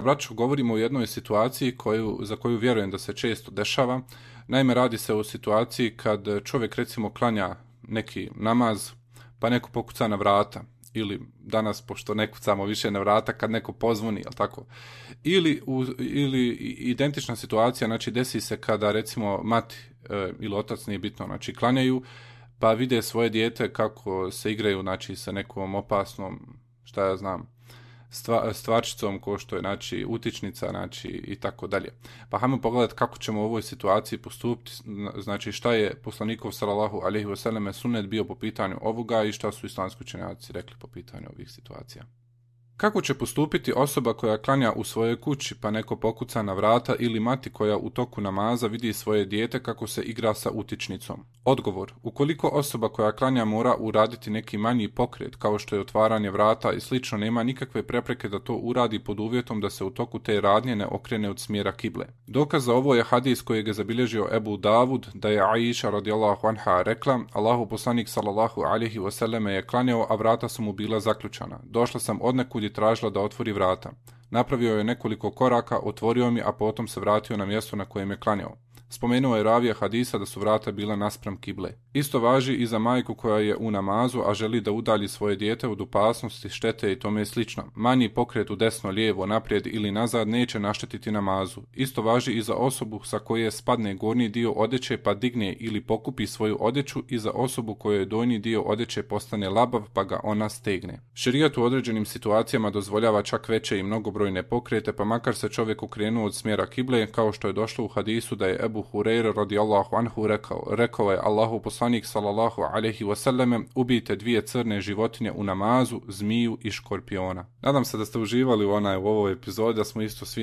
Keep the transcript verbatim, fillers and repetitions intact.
Braćo, govorimo o jednoj situaciji koju, za koju vjerujem da se često dešava. Naime, radi se o situaciji kad čovjek recimo klanja neki namaz, pa neko pokuca na vrata. Ili danas, pošto ne kucamo više na vrata, kad neko pozvoni, jel tako? Ili, u, ili identična situacija, znači desi se kada recimo mati e, ili otac, nije bitno, znači klanjaju, pa vide svoje dijete kako se igraju, znači sa nekom opasnom, šta ja znam, stva, stvarčicom ko što je znači utičnica, znači i tako dalje. Pa hajmo pogledati kako ćemo u ovoj situaciji postupiti, znači šta je poslanikov sallallahu alejhi ve selleme sunnet bio po pitanju ovoga i šta su islamski učenjaci rekli po pitanju ovih situacija. Kako će postupiti osoba koja klanja u svojoj kući pa neko pokuca na vrata ili mati koja u toku namaza vidi svoje dijete kako se igra sa utičnicom? Odgovor. Ukoliko osoba koja klanja mora uraditi neki manji pokret kao što je otvaranje vrata i slično, nema nikakve prepreke da to uradi pod uvjetom da se u toku te radnje ne okrene od smjera kible. Dokaz za ovo je hadis kojeg je zabilježio Ebu Davud da je Aisha radijallahu anha rekla: Allahu poslanik sallallahu alejhi ve selleme je klanjao, a vrata su mu bila zaključana. Došla sam odnekud i tražila da otvori vrata. Napravio je nekoliko koraka, otvorio mi, a potom se vratio na mjesto na kojem je klanjao. Spomenuo je ravija hadisa da su vrata bila naspram kible. Isto važi i za majku koja je u namazu, a želi da udalji svoje dijete od opasnosti, štete i tome slično. Manji pokret u desno, lijevo, naprijed ili nazad neće naštetiti namazu. Isto važi i za osobu sa koje spadne gornji dio odjeće pa digne ili pokupi svoju odjeću i za osobu kojoj donji dio odjeće postane labav pa ga ona stegne. Šerijat u određenim situacijama dozvoljava čak veće i mnogobrojne pokrete, pa makar se čovjek okrenuo od smjera kible, kao što je došlo u hadisu da je Ebu Hurajra radijallahu anhu rekao, rekao je Allahu poslanik sallallahu alejhi ve selleme: ubijte dvije crne životinje u namazu, zmiju i škorpiona. Nadam se da ste uživali u onaj u ovoj epizodi, da smo isto svi